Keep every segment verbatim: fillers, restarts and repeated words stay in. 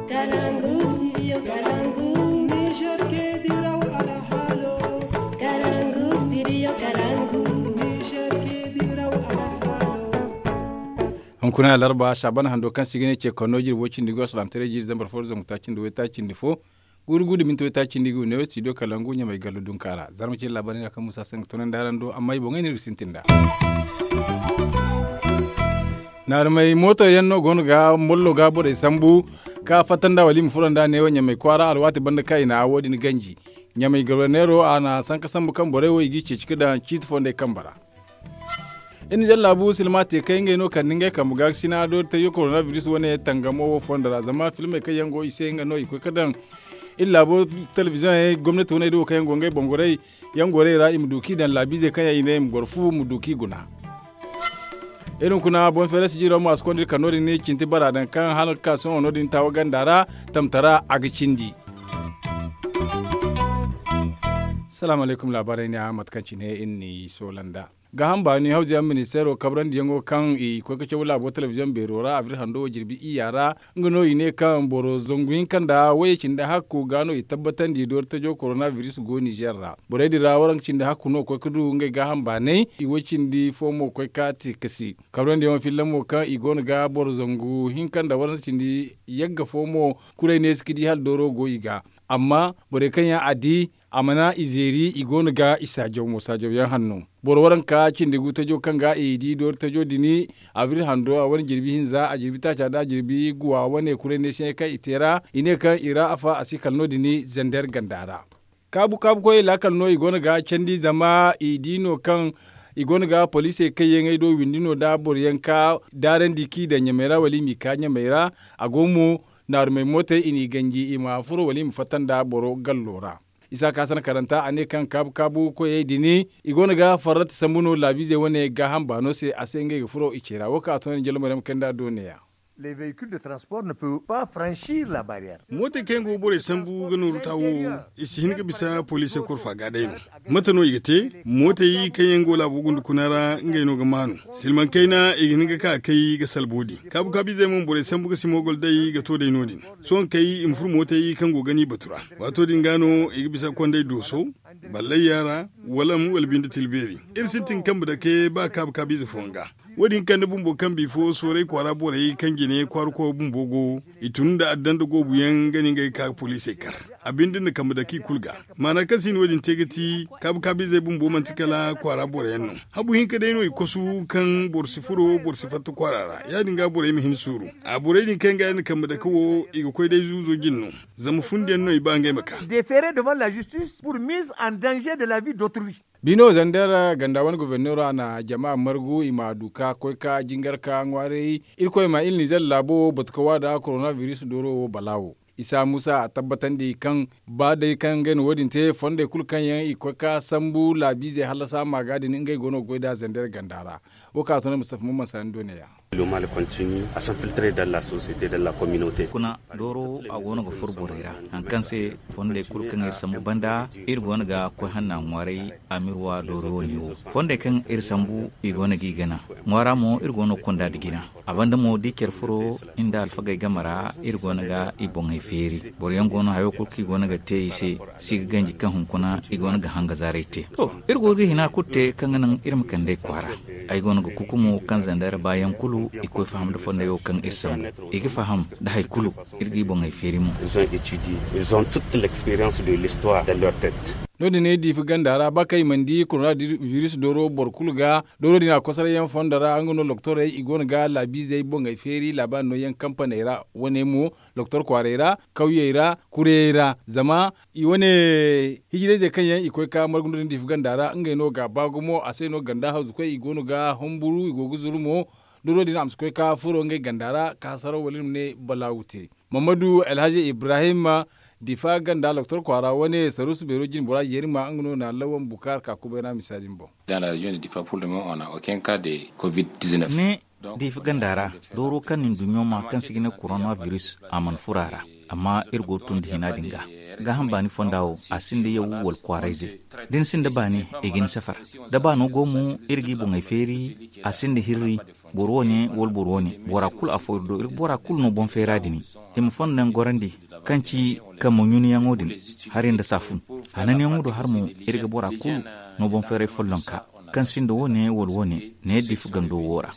Kalangu studio kalangu. Niger ke diraw alhalo. Kalangu studio kalangu. Niger ke diraw alhalo. Hunkuna larba saban hando kaŋ si ga ne ce konno jirbo cindi go salaamtaray jiri zambar fo zangu taaci nda waytaaci nda fo. Guuru guuru da minti waytaaci nda gu ne studio kalangu ɲamay gallo dunka ra zarma cindi labaari ga kaŋ musa se ga tunandi araŋ do amma i boŋey no iri ga sintin nd'a. Naarumey mooto yaŋ no go no ga mollo ga borey sambu ka fatta nd'a wala i ma furo nd'a neewo ɲamay kwaara alwaati banda kaŋ i na wo- din ganji. Ɲamay goborneero a na sanka sambu kaŋ borey wo i g'i ceeci ga daŋ ciiti fondey kambe ra. Iri na jaŋ laabu silma te kaŋ ngey no kande ngey kambe ga ga sina doori tajo korona biris wane tangamo wo fondo ra zama filmey kaŋ yaŋ go i se nga no i koy ga daŋ. Iri laabo telebiziyoŋey gomnati waney da wo kaŋ yaŋ go ngey boŋ gorey yaŋ gorey ra i ma du kaŋ i daŋ laabiizey kaŋ yaŋ i ne i ma goro fu ma du kaŋ i guna. Iri hunkuna boŋ feeray si jiiro mo a si konda iri kar no- din ne cinti bara daŋ kaŋ hala ga ka sohõ no- din taawa ganda ra tamtara a ga cindi. Salaamu alaykum laabaarey ne a mate kaŋ cine iri n'i soola nd'a. Gaaham baani hawza yaŋ ministeero kabrandiyaŋo kaŋ i koy ga caw laabo telebiziyoŋ beero ra abril hando wo jirbi iyya ra. Nga no i ne kaŋ boro zangu hinka nda wayye cindi hakku ga no i tabbatandi doori tajo korona biris go nizer ra borey din ra waranka cindi hakku no koy ga du ngey gaaham baanay i way cindi fo mo koy ga te ga si. Kabrandiyaŋo filla mo kaŋ i go no ga boro zangu hinka nda waranka cindi yagga fo mo. Kurey neesi ga di hala dooro go i ga. Amma borey kaŋ yaŋ a di a mana i zeeri i go no ga i saajaw mo saajawyaŋ hanno. Boro waranka cindi gu tajo kaŋ ga i di doori tajo din abril hando a wane jirbi hinza a jirbi taaca nda a jirbi guwa wane kuray neesiyaŋey kaŋ i te ra i ne kaŋ i ra afa a si kala no- din zander ganda ra. Kaabu kaabu koyey laakal no i go no ga candi zama i di no kaŋ i go no ga poliisey kaŋ yaŋ ay do windi no nda boro yaŋ ka daarandi kaŋ i daŋ ɲamey ra wala i m'i ka ɲamey ra. A go mo naarumey mootey i n'i ganji i ma furo wala i ma fatta nda boro gallo ra. Isa ka sana karanta a ne kaŋ kaabu kaabu koyey din i go no ga farrata sambu no laabiizey wane gaaham baano se a se ngey ga furo i ce ra wo kaŋ a to no ni jalo maryam kay nda a do neeya. Mootey kaŋ yaŋ go ga borey sambu ga nooru ta wo i si hin ga bisa poliisey korfa ga day no. Mate no i ga te? Mootey kaŋ yaŋ go laabo gunda kuna ra ngey no ga maanu. Silmaŋ kayna i ga hin ga ka kay ga salbo din kaabu kaabu izey mo borey sambu ga si moogol day ga to day no- din. Sohõ kay i ma furo mootey kaŋ go ga ni batu ra. Waato din ga no i ga bisa ga konda ay dooso, ballayya ra, walam wala binde tilbeeri. Iri sintin ga kambe dake ba kaabu kaabu ize fooyaŋ ga. Wo- din kande bumbo kaŋ bifo sooray kwaara borey kaŋ jine kwaara koy bumbo go i tun nda addan nda goobu yaŋ ga ni ngey ga ka ga poliisey kar. A binde nda kambe dake i kulu ga. Maana kaŋ se i na wo- din te ga ti kaabu kaabu izey bumbo manti kala kwaara boro yaŋ no. Habu hinka day no i kosu kaŋ boro si furo boro si fatta kwaara ra ya- din ga borey ma hin suuru. A borey din kaŋ ga yaŋ na kambe dake wo i ga koy day zuuzo jine no. Zama fundi yaŋ no i ba ngey ma ka. Defere devant la justice pour mise en danger de la vie d'autrui. Bino zander ganda wane goborneero a na jama margu i ma du ka koy ka jingar ka ŋwaaray. Irkoy ma iri nizer laabo wo batu ka waada korona biris dooro wo balaawo. Isa muusa a tabbatandi kaŋ ba day kaŋ ngey na wo- din te fondey kulu kaŋ yaŋ i koy ka sambu laabiizey hallasa maaga din ngey go no ga goy nd'a zander ganda ra. Wo kaŋ a to no mustafa mumman saani do neeya. Kuna dooro a go no ga furo borey ra, hari kaŋ se fondey kulu kaŋ iri sambu banda iri go no ga koy hanna ŋwaaray. Amirwa dooro wo ne wo fondey kaŋ iri sambu i go no g'i gana. Ŋwaara mo iri go no ga konda nda jina. A banda mo da i care furo nda alfagey game ra iri go no ga i boŋey feeri. Boro yaŋ go no hayo kulu kaŋ i go no ga te i se si ga ganji kaŋ hunkuna i go no ga hanga zaarey te. To, iri go ga hina kulu te kaŋ ga naŋ iri ma kand'ey kwaara. Ay go no ga kukumo kaŋ zandara baayaŋ kulu i koy faham nda fondey wo kaŋ iri sambu. I ga faham nda hari kulu iri g'i boŋey feeri mo. Ils ont toute l'expérience de l'histoire dans leur tête. No- din ay diifi ganda ra ba kaŋ i mana di korona biris dooro boro kulu ga. Dooro din a kosoray yaŋ fondo ra nga no loktorey i go no ga laabiizey boŋey feeri laabaari no yaŋ kampaney ra wane mo loktor kwaaray ra kawyey ra kurayey ra zama i wane hijirayzey kaŋ yaŋ i koy ka margu no din diifi ganda ra ngey no ga ba gumo a se no ganda hawzukoy i go no ga humburu i go ga zuru mo. Dooro din a ma si koy ka furo ngey ganda ra ka hasaraw wala iri ma ne balaawu te. Mammadu alhaji ibrahim difa ganda loktor kwaara wane saruusu beero jine bora jeeri ma nga no na lawan bukaar ka kubay ra misa din boŋ. Ne difa ganda ra dooro kaŋ na nduɲɲo ma kaŋ si ga ne korona biris a mana furo a ra. Amma iri go ga tun nda hina din ga gaaham baani fonda wo a sinda yawu wala kwaarayze. Da ni sinda baani i ga ni safar. Da baano go mo iri g'i boŋey feeri a sinda hirri. boro wo- ne wala boro wo- ne. Bora kulu afo iri do iri ga bora kulu no boŋ feera din. I ma fondo yaŋ gorandi kaŋ ci kambe ɲunayaŋo din, hari nda saafun hananyaŋo do hari mo. Iri ga bora kulu no boŋ feeray follonka kaŋ sinda wo- ne wala wo- ne, ne difu gando wo ra.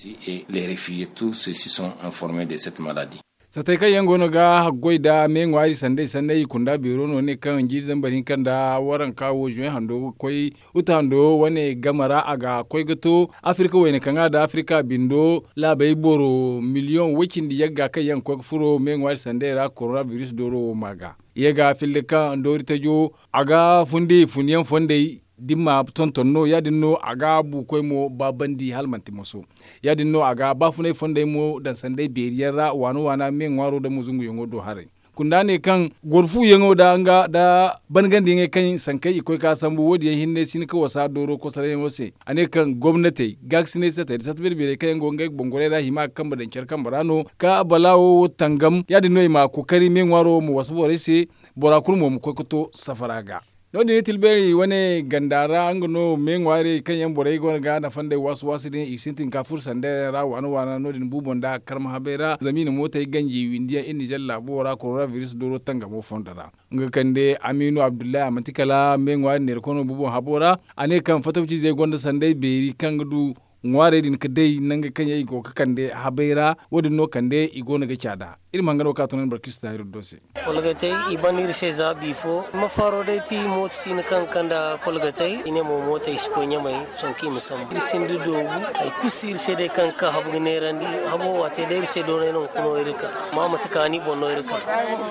Satey kaŋ yaŋ go no ga haggoy nda me ŋwaari sanday sanday i kunda beero no ne kaŋ jiiri zambar hinka nda waranka wo zuwe hando ga koy uta hando wane game ra a ga koy ga to afirka wayna kaŋ a da afirka bindo laabey boro miliyoŋ way- cindi yagga kaŋ yaŋ ga koy ga furo me ŋwaari sanday ra korona biris dooro wo ma ga. Ye ga filli kaŋ doori tajo a ga fundi funyaŋ fondey dimma tonton no ya- din no a ga buukoy mo ba bandi hala manti moso. Ya- din no a ga baafunay fondey mo daŋ sanday beeri yaŋ ra waana waana me ŋwaaro daŋ mo zunguyaŋo do haray. Kunda ne kaŋ goro fuuyaŋo da nga da bangandiyaŋey kaŋ sankey i koy ka sambu wo- din yaŋ hinne si hin ka wasa dooro kosarayyaŋo se. A ne kaŋ gomnatey gaakasinay satey nda sata beeri beerey kaŋ yaŋ go ngey boŋ gorey ra hima ga kambe daŋ care kambe ra no ka balaawo wo tangam ya- din no i ma kookari me ŋwaaro wo ma wasa borey se. Bora kulu mo ma koy ga to safara ga. No- din i tilbeeri wane ganda ra nga no me ŋwaarey kaŋ yaŋ borey go no ga nafa nd'ey waasu waasu din i ga sintin ka furo sanda yaŋ ra waana waana no- din buubo nda karma habey ra zama i na mootey ganji windi yaŋ iri nizer laabo ra korona biris dooro tangamo fondo ra. Nga kande amiinu abdullahi a manti kala me ŋwaari neera kono buubo habo ra. A ne kaŋ fatawciizey gonda sanday beeri kaŋ ga du ŋwaarey din ga day nangey kaŋ yaŋ i go ga kande habey ra. Wo- din no kande i go no ga caada. Iri ma hanga no ga ka tunandi barkista hiro do se. Kolgatey i ban iri se za biifo ma faro day ti mooto siina kaŋ ga kande kolgatey i ne mo mootey si koy ɲamey. Sonka i ma sambu iri sinda doobu. Hari kulu si iri se day kaŋ ga ka habu ga neerandi. Habo wo a te day iri se doonay no hunkuna wo iri ga ka. Amma manti kaani boŋ no iri ga ka.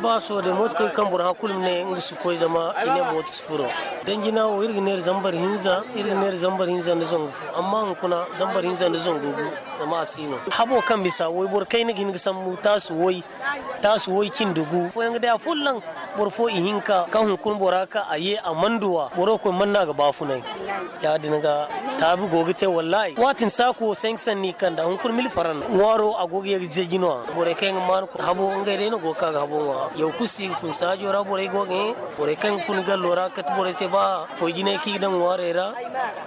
Ba sohõ day mooto koy kaŋ boro hã kulu ma ne nga si koy zama i ne mooto si furo. Danjina wo iri ga neera zambar hinza iri ga neera zambar hinza nda zangu fo. Amma hunkuna zambar hinza nda zangu gu. Zama a si no habo kaŋ bisa wayboro kayna ga hin ga sambu taasu way. Taasu way cindi gu fooyaŋ ga day a folloŋ. Boro fo ihinka kaŋ hunkuna bora ka a ye a mana duw'a boro koy mana no a ga baafunay. Ya- din ga taabi go ga te wallahi waati ni saako wo sanka sanni kanda hunkuna mili faran ŋwaaro a go ga ye ga zeji no-ya borey kaŋ yaŋ ga maanu habo ngey day no go ga ka ga habo ŋwa. Yaw kulu si ga fun saajo ra borey go ga ye borey kaŋ ga fun gallo ra kate borey se ba foy jinay kaŋ i ga daŋ ŋwaarey ra.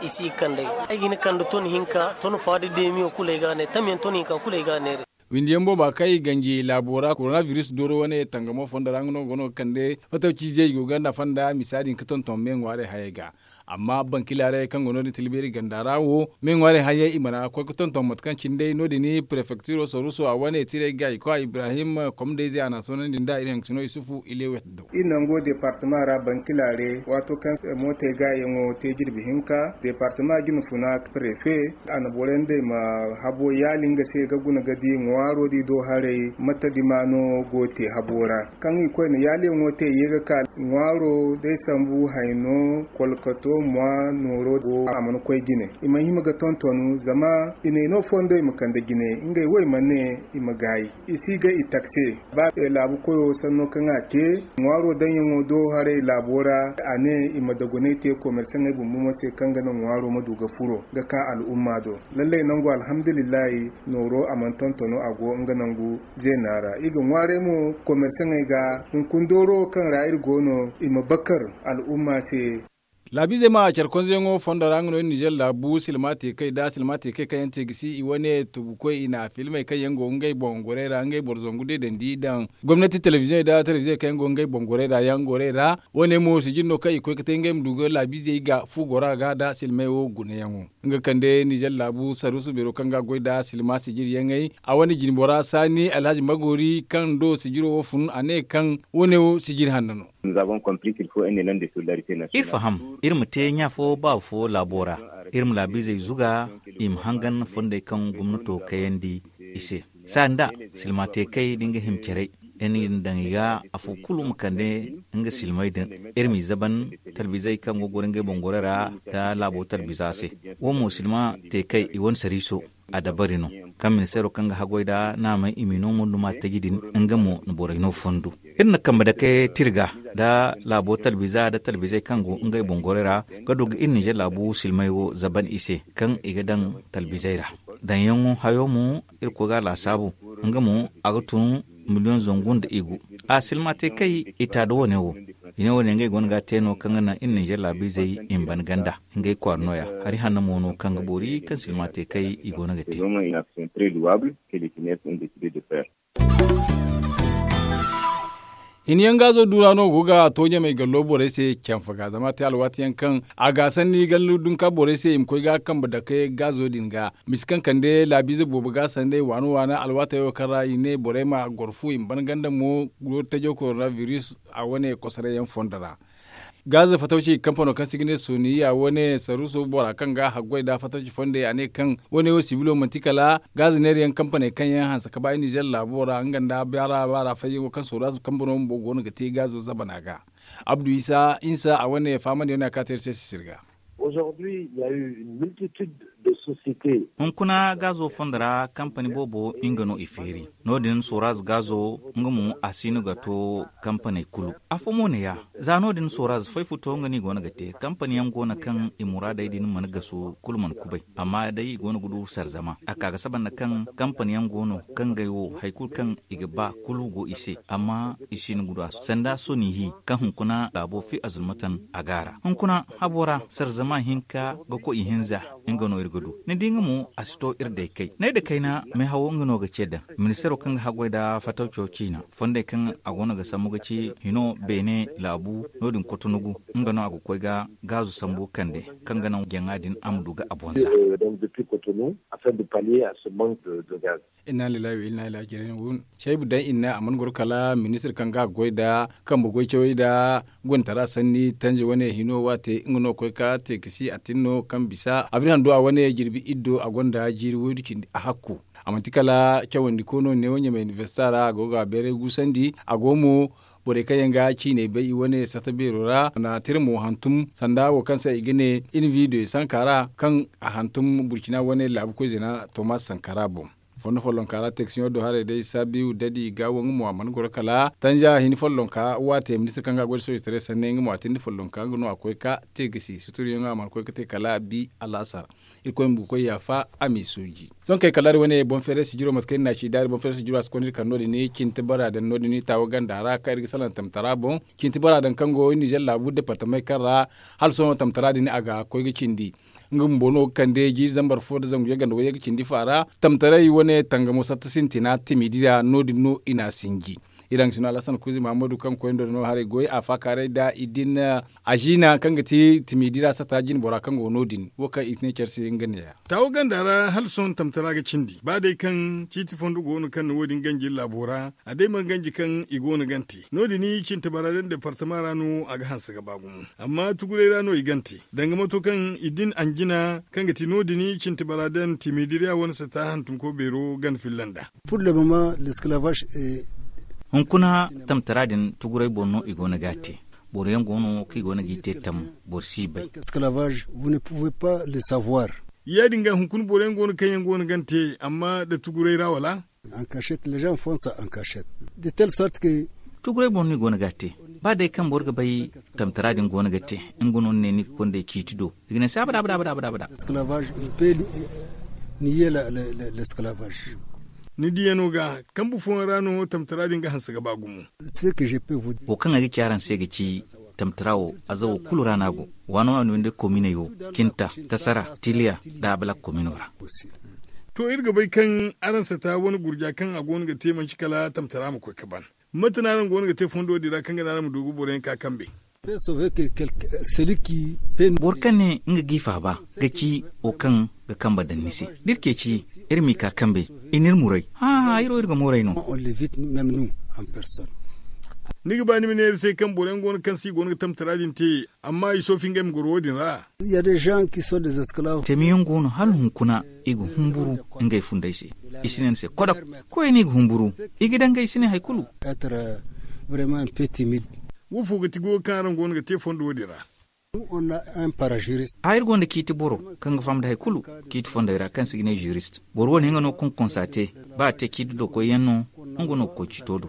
I si ga kand'ey ay ga hin ga kande ton hinka ton fa da deemiyo kulu ay ga a neera tamyaŋ ton hinka kulu ay ga a neera. Windiyaŋ booba kaŋ i ganji laabo ra korona biris dooro wane tangamo fondo ra nga no go no ga kande fatawciizey i go ga nafa nda misa din ga tonton me ŋwaarey hayey ga. Amma bankilaaray kaŋ go no- din tilbeeri ganda ra wo me ŋwaarey hayey i mana koy ga tonton mate kaŋ cine day no- din prefektiro saruuso a wane tiray ga i koy a ibrahim komdayzey a n'a toonandi nda iri haŋ ga sino isufu ilewet do. Iri nango departema ra bankilaaray waato kaŋ mootey gaayaŋo te jirbi hinka departema jina funa prefe a na borey nd'ey ma habo yaali nga se ga guna ga di ŋwaaro da i do haray mate dima no go te habo ra. Kaŋ i koyne yaaliyaŋo te i ye ga ka ŋwaaro day sambu hayno kolkoto mwa nooro go a mana koy jine. I mana hima ga tontonu zama i ne i no fondo i ma kande jine ngey wo i mana ne i ma gaayi. I si ga i taksi ba laabu koyo sanno kaŋ a te ŋwaaro daŋyaŋo do haray laabo ra. A ne i ma dagunay te komersaŋey bumbo mo se kaŋ ga naŋ ŋwaaro ma du ga furo ga ka al'umma do. Lallay nangu alhamdulillahi nooro a mana tontono a go nga nangu zeena ra i ga ŋwaaray mo komersaŋey ga hunkuna dooro kaŋ ra iri go no i ma bakar al'umma se. Laabiizey ma care konzeyaŋo fondo ra nga no iri nizer laabu silma te kay da silma te kay kaŋ yaŋ te ga si i wane tubukoy i na filmey kaŋ yaŋ go ngey boŋ gorey ra ngey boro zangu deedandi daŋ gomnati telebiziyoŋey da telebiziyoŋey kaŋ yaŋ go ngey boŋ gorey ra yaŋ gorey ra. Wane mo sijir no kaŋ i koy ga te ngey ma du ga laabiizey ga fu gora ga da silmey wo gunayaŋo nga kande nizer laabu saruusu beero kaŋ ga goy da silma sijir yaŋey a wane jinbora saani alhazi magori kaŋ do sijiro wo fun a ne kaŋ wane wo sijir hanno no. Iri faham iri ma te ɲa fo baaba fo laabo ra. Iri ma laabiizey zuga i ma hangan fondey kaŋ gomnato kayandi i se. Saani da silma te kay da nga hima caray iri na daŋ i ga afo kulu ma kande nga silmey din. Iri m'i zaban talbizey kaŋ go goro ngey boŋ gorey ra da laabo talbiza se. Wo mo silma te kay i wane sariiso a dabari no kaŋ ministeero kaŋ ga haggoy da naamey i m'i no munduma taji din. Nga mo na borey no fondu iri na kambe dake tirga da laabo talbiza da talbizey kaŋ go ngey boŋ gorey ra ga du ga iri nizer laabu silmey wo zaban i se kaŋ i ga daŋ talbizey ra. Daŋyaŋo hayo mo irkoy ga a laasaabu nga mo a ga tun miliyoŋ zangu nda i gu. A silma te kay i ta da wane wo. I ne wo- din ngey go no ga a te no kaŋ ga naŋ iri ninzeer laabiizey i ma ban ganda. Ngey kwaara no- ya hari hanno mo no kaŋ ga boori kaŋ silma te kay i go no ga te. Hini yaŋ gaazo duura no go ga to ɲamay gallo borey se canfa ga zama a te alwaati yaŋ kaŋ a ga sanni gallo dunka borey se i ma koy ga kambe dake gaazo din ga misi kaŋ kande laabiize boobo ga sanday waano waana alwaatey wo kaŋ ra i ne borey ma goro fu i ma ban ganda mo. Tajo korona biris a wane kosoray yaŋ fondo ra. Gaaza fatawci kampano kaŋ se i ga ne soniya wane saruuso bora kaŋ ga haggoy nda fatawci fondey a ne kaŋ wane wo sibilo manti kala gaaza neera yaŋ kampaney kaŋ yaŋ hanse ka ba i nizer laabo ra nga nda baara baara fayyaŋo kaŋ sooraaz kampano bumbo go no ga te gaazo zabana ga. Abdu isa insa a wane fahamandi wane a kaate iri se sisir ga. Hunkuna gaazo fondo ra kampani boobo nga no i feeri. No- din sooraaz gaazo nga mo a si no ga to kampaney kulu. Afo mo ne ya za no- din sooraaz fay futo nga no i go no ga te kampani yaŋ go no kaŋ i muraadey din mana gasu kulu mana kubay amma day i go no ga du sarzama a ka ga saba nda kaŋ kampani yaŋ go no kaŋ ngey wo hari kulu kaŋ i ga ba kulu go i se amma i si no ga du a sanda sonihi kaŋ hunkuna laabo fi azulmatan a ga a ra hunkuna habo ra sarzama hinka ga koy ihinza. Nga no iri ga du ni di nga mo a si to iri day kay ne da kayna meehawo nga no ga ce daŋ ministeero kaŋ ga haggoy nda fatawco ciina fondey kaŋ a go no ga sambu ga ci hino beene laabu no- din kotonugu nga no a ga koy ga gaazu sambu kande kaŋ ga naŋ jaŋa din a ma du ga a boŋ za. Inna lillahi wa inna lillahi jere no wun caybu daŋ inna a mana goro kala ministir kaŋ ga a goy nda kambe goy cawey nda gontara sanni tanje wane hino waate nga no koy ka te ga si a tin no kaŋ bisa a biri hando a wane jirbi iddo a gonda jiiri woydu cindi a hakku. A manti kala cawandi ko no neewo ɲamay inibersita ra a go ga a beeray guusandi a go mo borey kaŋ yaŋ ga ciinay bay i wane sata beero ra na tira mo hantum sanda wo kaŋ se i ga ne invido sanka ra kaŋ a hantum burcina wane laabu koy zena tomas sankara boŋ. Fondo follonka ra teksiyoŋo do haray day saabiw dadi ga wo nga mo a mana goro kala tanja hini follonka waate ministir kaŋ ga a goy da soojitaray sanne nga mo a tindi follonka nga no a koy ka te gasi suturiyaŋo a mana koy ga te kala bi alaasar. Irkoy ma ga koy yaafa a m'i sooji. Sohõ kay kala iri wane boŋ feeray sijiro mate kaŋ iri n'a ci daari boŋ feeray sijiro a si konda iri kar no- din cinti bara daŋ no- din taawa ganda ra kaŋ iri ga salaŋ tamtara boŋ. Cinti bara daŋ kaŋ go nizer laabu departamey kaŋ ra hala sohõ tamtara din a ga koy ga cindi. Nga bumbo no ga kande jiiri zambar fo nda zangu yaganda wayye ga cindi faara tamtaray wane tangamo satta sintina timidi ra no- din no i n'a sinji. Iri haŋ ga si no alhasan kuuzi mahammadu kaŋ koy nda no haray goy a faakaaray nda i din aziina kaŋ ga ti timidi ra sata jinbora kaŋ go no- din wo kaŋ i si ne care se nga neeya. Taawo ganda ra hala sohõ tamtara ga cindi ba day kaŋ ciiti fondo go no kaŋ na wo- din ganji iri laabo ra a day mana ganji kaŋ i go no gante no- din cinti bara daŋ departama ra no a ga hanse ga ba gumo. Amma tuguray ra no i gante danga mato kaŋ i din anjina kaŋ ga ti no- din cinti bara daŋ timidiriya wane sata hantumko beero gana filla nd'a. Hunkuna tamtara din tuguray boŋ no i go no ga a te. Boro yaŋ go no kaŋ i go no g'i te tam boro si bay. Ya- din ga hunkuna boro yaŋ go no kaŋ yaŋ go no gana te amma nda tuguray ra wala? Tuguray boŋ no i go no ga a te. Ba day kaŋ boro ga bay tamtara din go no ga te nga no ni ne ni ga konday ciiti do i ga ne se abada abada abada abada. Ni diyano ga kambu fooyaŋ ra no tamtara din ga hanse ga ba gumo. Wo kaŋ ay ga ci araŋ se ga ci tamtara wo azawo kulu ra no a go. Waano waano binde kominey wo, kinta, tasara, tiliya, nda abalak komino ra. To iri ga bay kaŋ araŋ sata wane gurja kaŋ a go no ga te manci kala tamtara ma koy ga ban. Mate no araŋ go no ga te fondo din ra kaŋ ga naŋ araŋ ma du ga boro yaŋ ka kambe? Boro kaŋ ne nga g'i faaba ga ci wo kaŋ ga kambe daŋ ni se. Da iri ceeci iri m'i ka kambe, i n'iri muray. Hããhã iri wo iri ga mooray no. Ni ga ba ni ma ne iri se kaŋ boro yaŋ go no kaŋ se i go no ga tamtara din te amma i soofi ngey ma goro wo- din ra? Teemiyaŋ go no hala hunkuna i ga humburu ngey fundey se. I si ne ni se kodok. Koyey no i ga humburu. I ga daŋ ga i si ne hari kulu. Wo fo ga ti goyo kaŋ araŋ go no ga te fondo wo- din ra? Iri gonda ciiti boro kaŋ ga faham nda hari kulu ciiti fondey ra kaŋ se i ga ne zurist. Boro wo- ne nga no konkonsa te. Ba a te ciiti do koyyaŋ no. Nga no ga koy ciito do.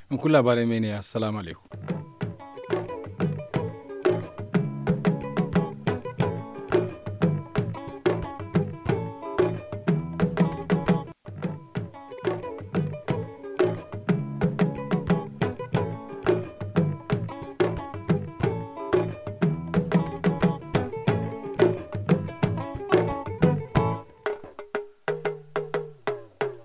Hunkuna laabaarey ma ay ne ya assalaamu alaykum.